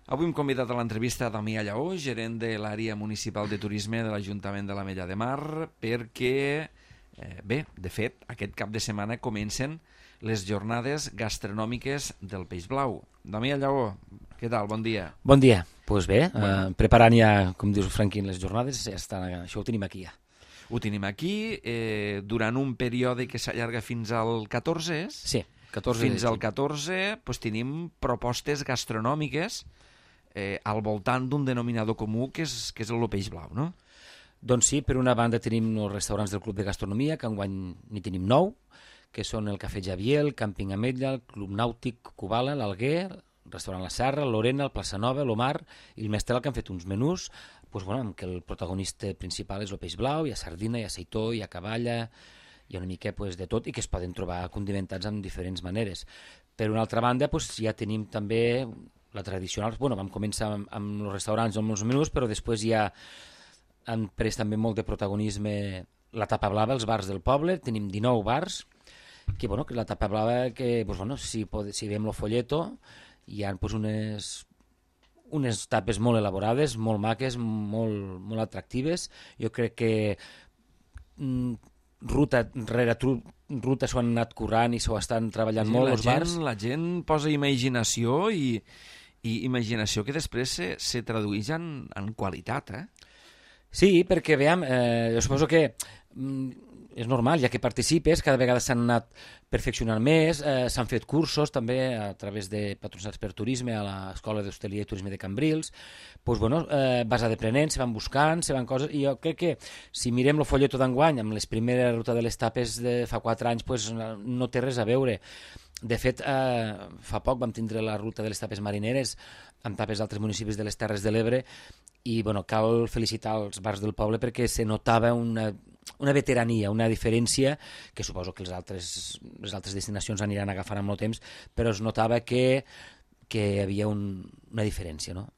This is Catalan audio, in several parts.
Avui hem convidat a l'entrevista a Damià Lleó, gerent de l'àrea municipal de turisme de l'Ajuntament de l'Ametlla de Mar, perquè, de fet, aquest cap de setmana comencen les jornades gastronòmiques del Peix Blau. Damià Lleó, què tal? Bon dia. Bon dia. Doncs bé, preparant ja, com dius Franquín, les jornades, això ho tenim aquí ja. Ho tenim aquí, durant un període que s'allarga fins al 14, és? Sí, 14 fins al 14 doncs, tenim propostes gastronòmiques al voltant d'un denominador comú que és el Peix Blau, no? Doncs sí, per una banda tenim els restaurants del Club de Gastronomia, que enguany n'hi tenim 9, que són el Cafè Javier, el Càmping Ametlla, el Club Nàutic Cubala, l'Alguer, el restaurant La Serra, l'Orena, el Plaça Nova, l'Omar i el Mestral, que han fet uns menús en què el protagonista principal és el peix blau, hi ha sardina, hi ha aceitó, hi ha cavalla, hi ha una mica de tot i que es poden trobar condimentats amb diferents maneres. Per una altra banda, ja tenim també la tradicional, vam començar amb els restaurants, amb els menús, però després ja han pres també molt de protagonisme la tapa blava, els bars del poble, tenim 19 bars, que la tapa blava, que si veiem el folleto, hi ha unes tapes molt elaborades, molt maques, molt atractives. Jo crec que ruta rere ruta s'ho han anat currant i s'ho estan treballant molt els bars. La gent posa imaginació i imaginació que després se tradueix en qualitat, eh? Sí, perquè, veiem, jo suposo que és normal, ja que participes, cada vegada s'han anat perfeccionant més, s'han fet cursos també a través de patrocinats per turisme a l'Escola d'Hostaleria i Turisme de Cambrils, vas aprenent, se van buscant, se van coses, i jo crec que si mirem el folleto d'enguany amb les primeres ruta de les tapes de fa 4 anys, no té res a veure. De fet, fa poc vam tindre la ruta de les tapes marineres amb tapes d'altres municipis de les Terres de l'Ebre i cal felicitar els bars del poble perquè se notava una veterania, una diferència que suposo que les altres destinacions aniran agafant amb el temps, però es notava que hi havia una diferència, no?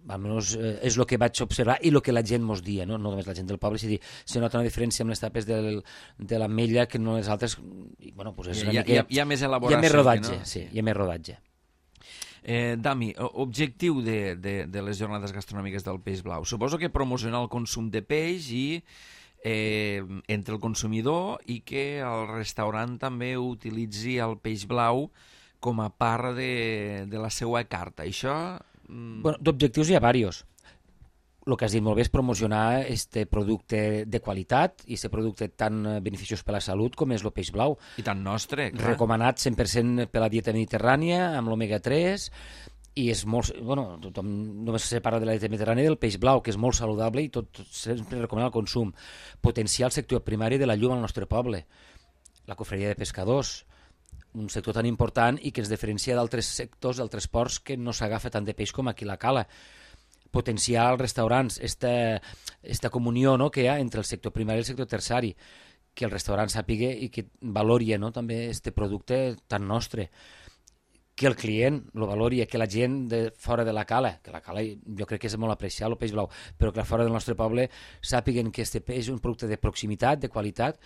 Almenys és el que vaig observar i el que la gent mos dia, no només la gent del poble, se nota una diferència amb les tapes de l'Ametlla que no les altres. Hi ha més elaboració. Hi ha més rodatge, sí, hi ha més rodatge. Dami, objectiu de les jornades gastronòmiques del Peix Blau. Suposo que promocionar el consum de peix i entre el consumidor i que el restaurant també utilitzi el peix blau com a part de la seva carta. Això... D'objectius hi ha diversos. El que has dit molt bé és promocionar este producte de qualitat i aquest producte tan beneficiós per a la salut com és el peix blau. I tan nostre, clar. Recomanat 100% per la dieta mediterrània, amb l'omega-3, i és molt... tothom només se parla de la dieta mediterrània del peix blau, que és molt saludable i tot sempre recomana el consum. Potenciar el sector primari de la llum al nostre poble. La cofreria de pescadors, un sector tan important i que es diferencia d'altres sectors, d'altres ports, que no s'agafa tant de peix com aquí la Cala. Potenciar els restaurants, esta comunió que hi ha entre el sector primari i el sector terciari, que el restaurant sàpiga i que valori també este producte tan nostre, que el client lo valori, que la gent de fora de la Cala, que la Cala jo crec que és molt apreciat, el peix blau, però que fora del nostre poble sàpiguen que este peix és un producte de proximitat, de qualitat,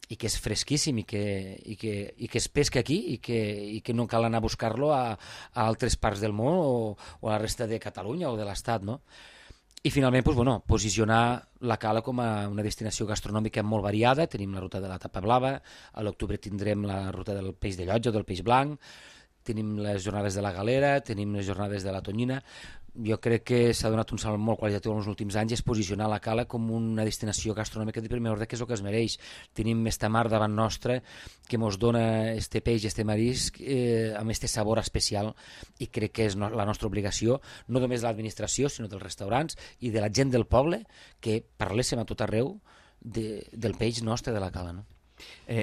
i que és fresquíssim i que es pesca aquí i que no cal anar a buscar-lo a altres parts del món o a la resta de Catalunya o de l'Estat, no? I finalment, posicionar la Cala com a una destinació gastronòmica molt variada. Tenim la ruta de la tapa blava, a l'octubre tindrem la ruta del peix de llotja o del peix blanc, tenim les jornades de la galera, tenim les jornades de la tonyina. Jo crec que s'ha donat un salt molt qualitatiu en els últims anys, és posicionar la Cala com una destinació gastronòmica de primer ordre, que és el que es mereix. Tenim esta mar davant nostra que ens dona este peix, este marisc, amb este sabor especial, i crec que és la nostra obligació, no només de l'administració, sinó dels restaurants i de la gent del poble, que parléssim a tot arreu del peix nostre de la Cala, no?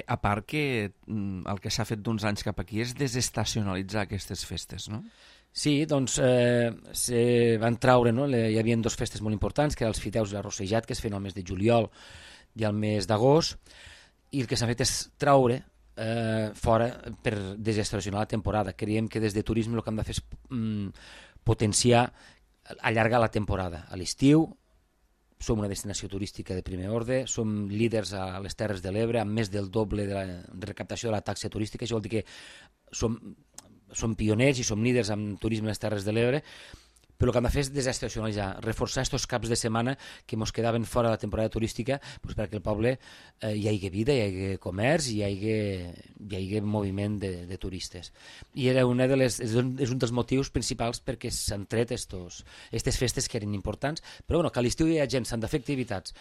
A part que el que s'ha fet d'uns anys cap aquí és desestacionalitzar aquestes festes, no? Sí, doncs se van traure, hi havia 2 festes molt importants, que eren els Fideus i l'Arrossejat, que es feien al mes de juliol i al mes d'agost, i el que s'ha fet és traure fora per desestacionar la temporada. Creiem que des de turisme el que hem de fer és potenciar, allargar la temporada. A l'estiu som una destinació turística de primer ordre, som líders a les Terres de l'Ebre, amb més del doble de recaptació de la taxa turística. Això vol dir que som pioners i som líders en turisme a les Terres de l'Ebre, Però el que hem de fer és desestacionalitzar, reforçar aquests caps de setmana que ens quedaven fora de la temporada turística, doncs perquè el poble hi hagi vida, hi hagi comerç, hi hagi moviment de turistes. I era és un dels motius principals perquè s'han tret aquestes festes que eren importants, però bueno, que a l'estiu hi ha gent, s'han de fer activitats,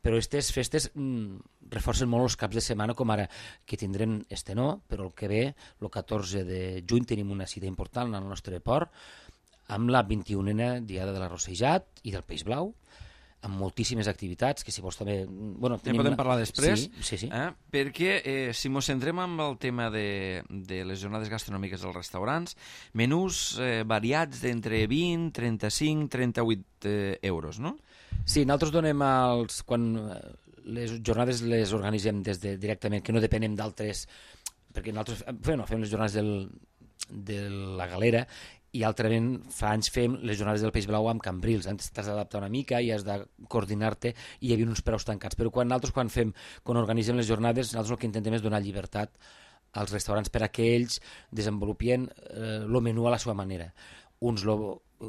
però aquestes festes reforcen molt els caps de setmana, com ara que tindrem no, però el que ve, el 14 de juny, tenim una cita important al nostre port, amb la 21a Diada de l'Arrossejat i del Peix Blau, amb moltíssimes activitats, que si vols també... Bueno, en podem parlar després, sí. Perquè si ens centrem en el tema de les jornades gastronòmiques dels restaurants, menús variats d'entre 20, 35, 38 euros, no? Sí, nosaltres donem quan les jornades les organitzem directament, que no depenem d'altres, perquè nosaltres fem les jornades de la Galera i altrament fa anys fem les jornades del Peix Blau amb Cambrils. Antes t'has d'adaptar una mica i has de coordinar-te i hi havia uns preus tancats, però quan organitzem les jornades nosaltres el que intentem és donar llibertat als restaurants per a que ells desenvolupin el menú a la seva manera. Uns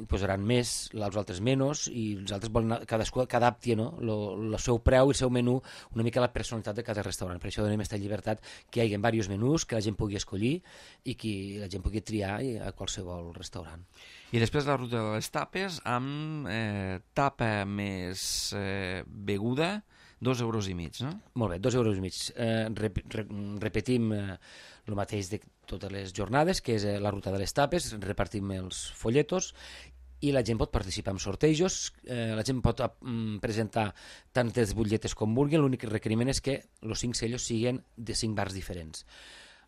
posaran més, els altres menys, i els altres volen cadascú que adapti el seu preu i el seu menú una mica a la personalitat de cada restaurant. Per això donem aquesta llibertat, que hi hagi diversos menús, que la gent pugui escollir i que la gent pugui triar a qualsevol restaurant. I després la ruta de les tapes, amb tapa més beguda, 2,5 euros, no? Molt bé, 2,5 euros. Repetim el mateix de totes les jornades, que és la ruta de les tapes, repartim els folletos i la gent pot participar en sortejos, la gent pot presentar tantes butlletes com vulguin, l'únic requeriment és que els 5 sellos siguin de 5 bars diferents.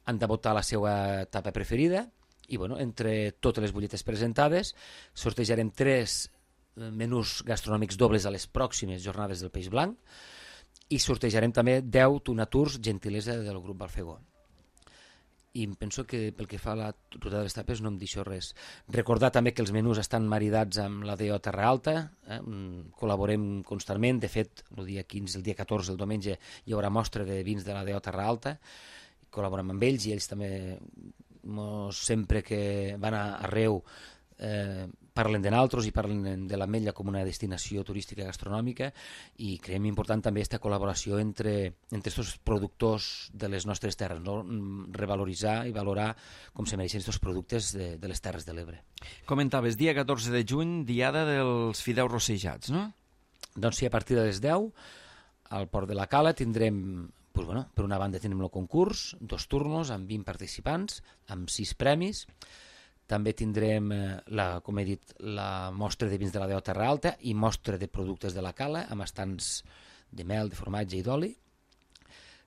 Han de votar la seva tapa preferida i entre totes les butlletes presentades sortejarem 3 menús gastronòmics dobles a les pròximes jornades del Peix Blanc i sortejarem també 10 Tunatours gentilesa del grup Balfegó. I penso que pel que fa a la ruta de les tapes no em deixo res. Recordar també que els menús estan maridats amb la DO Terra Alta, col·laborem constantment, de fet el dia 15, el dia 14, el diumenge hi haurà mostra de vins de la DO Terra Alta, col·laborem amb ells i ells també sempre que van arreu parlen de nosaltres i parlen de l'Ametlla com una destinació turística gastronòmica i creiem important també aquesta col·laboració entre aquests productors de les nostres terres, no? Revaloritzar i valorar com se mereixen aquests productes de les Terres de l'Ebre. Comentaves, dia 14 de juny, diada dels fideus rossejats, no? Doncs sí, a partir de les 10 al Port de la Cala tindrem, per una banda tenim el concurs, 2 turnos amb 20 participants, amb 6 premis. També tindrem, com he dit, la mostra de vins de la DO Terra Alta i mostra de productes de la Cala, amb estants de mel, de formatge i d'oli.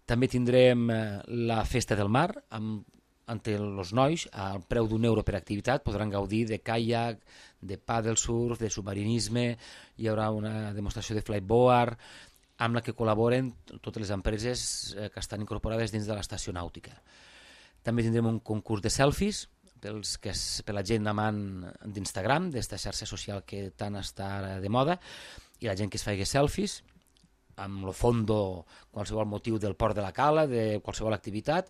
També tindrem la Festa del Mar, amb els nois, al preu d'€1 per activitat, podran gaudir de caiac, de paddle surf, de submarinisme, hi haurà una demostració de flyboard, amb la que col·laboren totes les empreses que estan incorporades dins de l'estació nàutica. També tindrem un concurs de selfies, per la gent amant d'Instagram, d'esta xarxa social que tant està de moda, i la gent que es faci selfies amb el fondo, qualsevol motiu del Port de la Cala, de qualsevol activitat,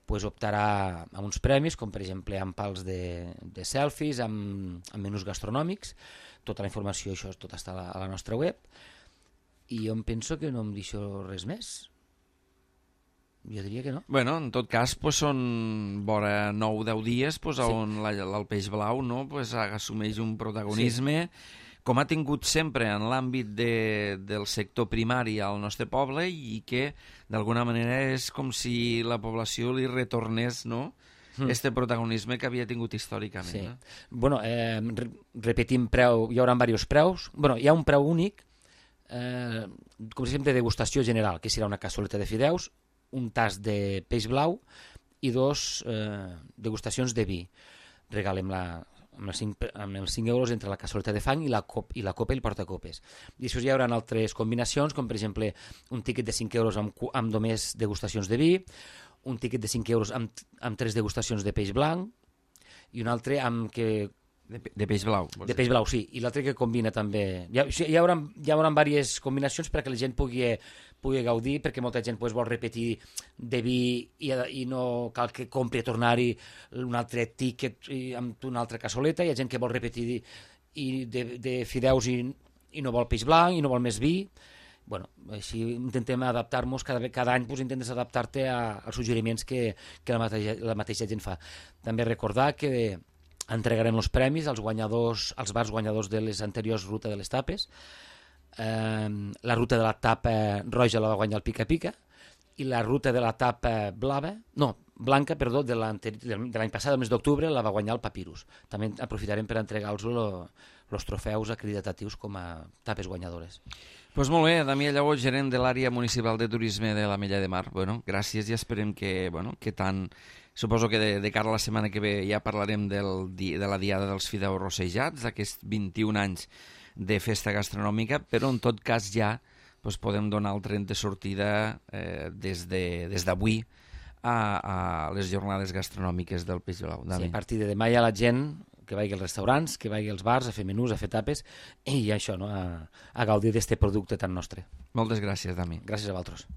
optarà a uns premis, com per exemple amb pals de selfies, amb menús gastronòmics. Tota la informació, això tot està a la nostra web, i jo em penso que no em deixo res més. Jo diria que no. Bueno, en tot cas, són vora 9-10 dies on el Peix Blau assumeix un protagonisme, com ha tingut sempre en l'àmbit del sector primari al nostre poble, i que d'alguna manera és com si la població li retornés, no?, este protagonisme que havia tingut històricament. Sí. Repetim preu, hi haurà diversos preus. Hi ha un preu únic, com si de degustació general, que serà una cassoleta de fideus, un tas de peix blau i 2 degustacions de vi. Regalem amb els 5 euros entre la cassoleta de fang i la copa i el portacopes. I això hi haurà altres combinacions, com per exemple un tíquet de 5 euros amb només degustacions de vi, un tíquet de 5 euros amb 3 degustacions de peix blanc i un altre amb que... De peix blau. De peix blau, sí. I l'altre que combina també... Hi haurà diverses combinacions perquè la gent pugui gaudir, perquè molta gent vol repetir de vi i no cal que compri a tornar-hi un altre tíquet amb una altra cassoleta. Hi ha gent que vol repetir i de fideus i no vol peix blanc, i no vol més vi. Bueno, així intentem adaptar-nos, cada any pues, intentes adaptar-te als suggeriments que la mateixa gent fa. També recordar que entregarem els premis als bars guanyadors de les anteriors rutes de les tapes. La ruta de la tapa roja la va guanyar el Pica Pica, i la ruta de la tapa blanca, de l'any passat, el mes d'octubre, la va guanyar el Papyrus. També aprofitarem per entregar-los els trofeus acreditatius com a tapes guanyadores. Doncs molt bé, Damià Lleó, gerent de l'àrea municipal de turisme de l'Ametlla de Mar. Bueno, gràcies i esperem que tant... Suposo que de cara a la setmana que ve ja parlarem de la Diada dels Fideus Rossejats, d'aquests 21 anys de festa gastronòmica, però en tot cas ja podem donar el tren de sortida des d'avui a les jornades gastronòmiques del Peix Blau. Sí, a partir de demà ja la gent que vagi als restaurants, que vagi als bars a fer menús, a fer tapes i això, no? A gaudir d'aquest producte tan nostre. Moltes gràcies, Dami. Gràcies a vosaltres.